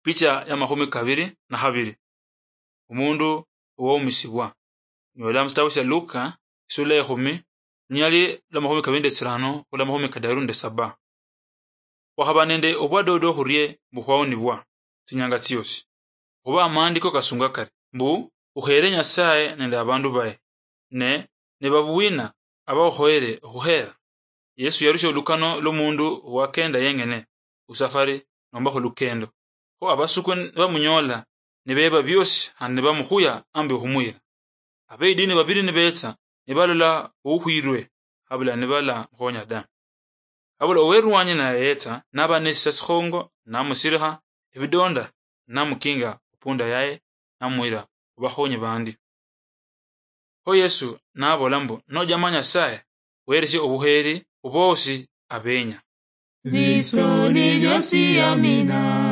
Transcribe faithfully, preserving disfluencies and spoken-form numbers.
Picha ya makhumi kabiri na khabiri. Omundu owaumisibwa. Nyola musitabu sia Luka, isula ya ekhumi, lunyali lwa makhumi kabiri nende tsirano khula makhumi kadaru nende saba. Khwakhaba nende obwadodo khurie mbu khwaonibwa tsinyanga tsiosi. Khuba amaandiko kasunga kari mbu, "Ukheere Nyasaye nende abandu baye, ne nibabuina abakhukhoyere okhukheera?" Yesu yarusia olukano lwomundu owakenda yengene khusafari nomba khulukendo. Kho abasuku nibamunyola, nibeba biosi khandi nibamukhuya ambi okhumuyira. Abeidini babiri nibetsa, nibalola oukhwirwe, habula nibalamukhonya da. Habula owerwanyi naye yetsa, naba nesisa sikhongo, namusirikha ebidonda, namukinga khupunda yaye, namuyira khubakhonyi bandi. Kho Yesu nabola mbu, "Nojama Nyasaye, weresie obuheri khubosi abenya." Bisoni biosi amina.